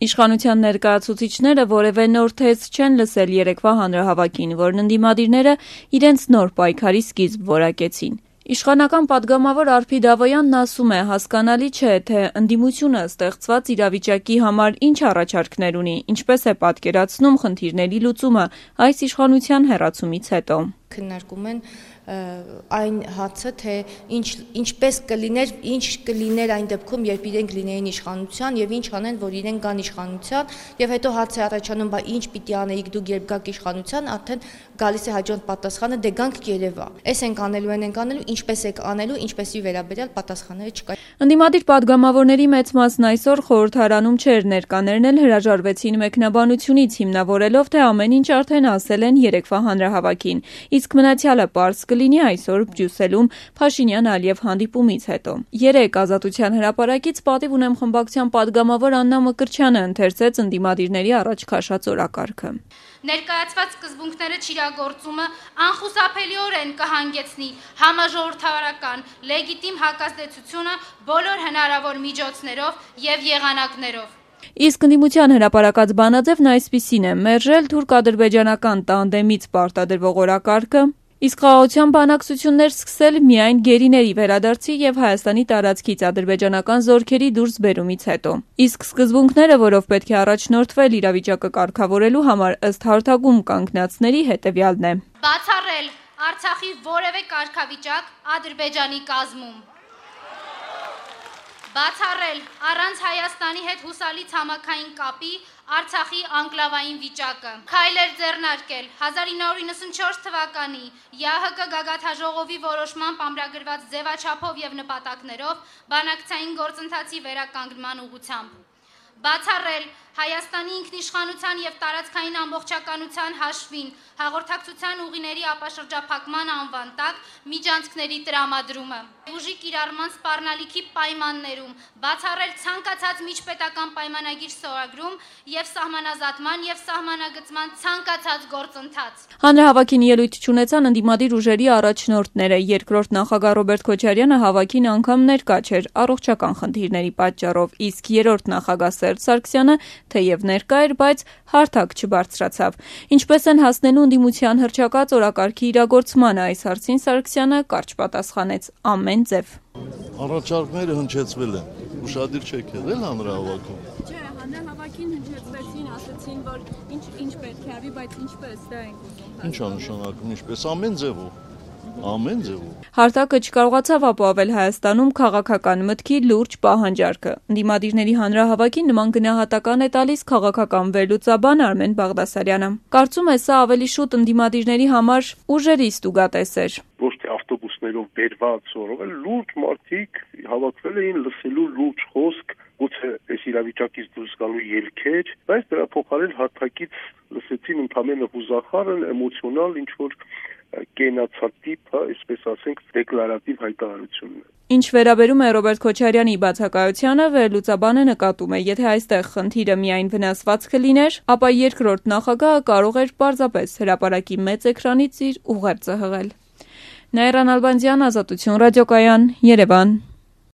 Իշխանության ներկայացուցիչները որևէ նոր թեզ չեն լսել երեկվա հանրահավաքին, որն ընդդիմադիրները իրենց նոր պայքարի սկիզբ որակեցին։ Իշխանական պատգամավոր Արփի Դավոյանն ասում է, հասկանալի չէ, թե ընդդիմությունը ստեղծված իրավիճակի համար ինչ առաջարկներ ունի, ինչպես է պատկերացնում խնդիրների լուծումը այս իշխանության հեռացումից հետո։ Քննարկում են այն հացը, թե ինչպես կլիներ այն դեպքում, երբ իրենք լինեին իշխանության եւ ինչ անեն, որ իրենք գան իշխանության, եւ հետո հարց է առաջանում, բա ինչ պիտի անեիք դուք, երբ գաք իշխանության, արդեն գալիս է հաջորդ պատասխանը, դե գանք Երևա։ Էս ենք անելու, ինչպես եք անելու, ինչպեսի վերաբերյալ պատասխանները չկա։ Ընդդիմադիր պատգամավորների մեծ մասն այսօր խորհրդարանում չէր, ներկաներն էլ հրաժարվեցին մեկնաբանությունից, հիմնավորելով, թե ամեն ինչ արդեն ասել են երեկվա հանրահավաքին, իսկ մնացյալը պարզ կլինի այսօր Բրյուսելում Փաշինյան-Ալիև հանդիպումից հետո։ Երեկ Ազատության հրապարակից պատիվ ունեմ խմբակցության պատգամավոր Աննա Մկրտչյանը ընթերցեց ընդդիմադիրների առաջ քաշած օրակարգը։ Ներկայացված սկզբունքները չիրագործումը անխուսափելիորեն կհանգեցնի համաժողովրդավարական լեգիտիմ հակազդեցությունը բոլոր հնարավոր միջոցներով եւ եղանակներով։ Իսկ ընդդիմության հրապարակած բանաձևն այսպիսին է՝ մերժել թուրք-ադրբեջանական տանդեմից պարտադրվող օրակարգը, իսկ խաղաղության բանակցություններ սկսել միայն գերիների վերադարձի եւ Հայաստանի տարածքից ադրբեջանական զորքերի դուրսբերումից հետո։ Իսկ սկզբունքները, որով պետք է առաջնորդվել իրավիճակը կարգավորելու համար, ըստ հարթակում կանգնածների հետեւյալն է. Բացառել Արցախի որևէ կարգավիճակ Ադրբեջանի կազմում։ Բացառել առանց Հայաստանի հետ հուսալի ցամաքային կապի Արցախի անկլավային վիճակը։ Քայլեր ձեռնարկել 1994 թվականի ՀՀԿ գագաթաժողովի որոշմամբ ամրագրված ձևաչափով եւ նպատակներով բանակցային գործընթացի վերականգնման ուղղությամբ։ Բացառել Հայաստանի ինքնիշխանության եւ տարածքային ամբողջականության հաշվին հաղորդակցության ուղիների ապաշրջափակման անվան տակ միջանցքների տրամադրումը։ Ուժի կիրառման սպառնալիքի պայմաններում բացառել ցանկացած միջպետական պայմանագիր ստորագրում եւ սահմանազատման եւ սահմանագծման ցանկացած գործընթաց։ Հանրահավաքին ելույթ չունեցան ընդդիմադիր ուժերի առաջնորդները։ Երկրորդ նախագահ Ռոբերտ Քոչարյանը հավաքին անգամ ներկա չէր առողջական խնդիրների պատճառով, իսկ երրորդ նախագահ Սերժ Սարգսյանը թեև ներկա էր, բայց հարթակ չբարձրացավ։ Ինչպես են հասնելու ընդդիմության հռչակած օրակարգի իրագործմանը, այս հարցին Սարգսյանը կարճ պատասխանեց՝ ամեն ձև։ Առաջարկները հնչեցվել են, ուշադիր չեք եղել հանրահավաքում։ Չէ, հանրահավաքին հնչեցվեցին, ասացին, որ ինչ պետք է արվի, բայց ինչպես դա ենք ուզում։ Ինչ է նշանակում ինչպես, ամեն ձևով։ Ամեն ձևով։ Հարտակը չկարողացավ ապահովել Հայաստանում քաղաքական մտքի լուրջ պահանջարկը։ Ընդդիմադիրների հանրահավաքին նման գնահատական է տալիս քաղաքական վերլուծաբան Արմեն Բաղդասարյանը։ Կարծում է, սա ավելի շուտ ընդդիմադիրների համար ուժերի ստուգատես էր։ Ոչ թե ավտոբուսներով բերված օրով, լուրջ մարդիկ հավաքվել էին լսելու լուրջ խոսք, գուցե այս իրավիճակից դուրս գալու ելքեր, բայց դրա փոխարեն հարթակից լսեցին ընդամենը հուզախարն, էմոցիոնալ ինչ-որ կենացատիպ, այսպես ասենք, դեկլարատիվ հայտարարությունն է։ Ինչ վերաբերում է Ռոբերտ Քոչարյանի բացակայությանը, վերլուծաբանը նկատում է, եթե այստեղ խնդիրը միայն վնասվածքը լիներ, ապա երկրորդ նախագահը կարող էր պարզապես հրապարակի մեծ էկրանից իր ուղերձը հղել։ Նաիրա Նալբանդյան, Ազատություն ռադիոկայան, Երևան։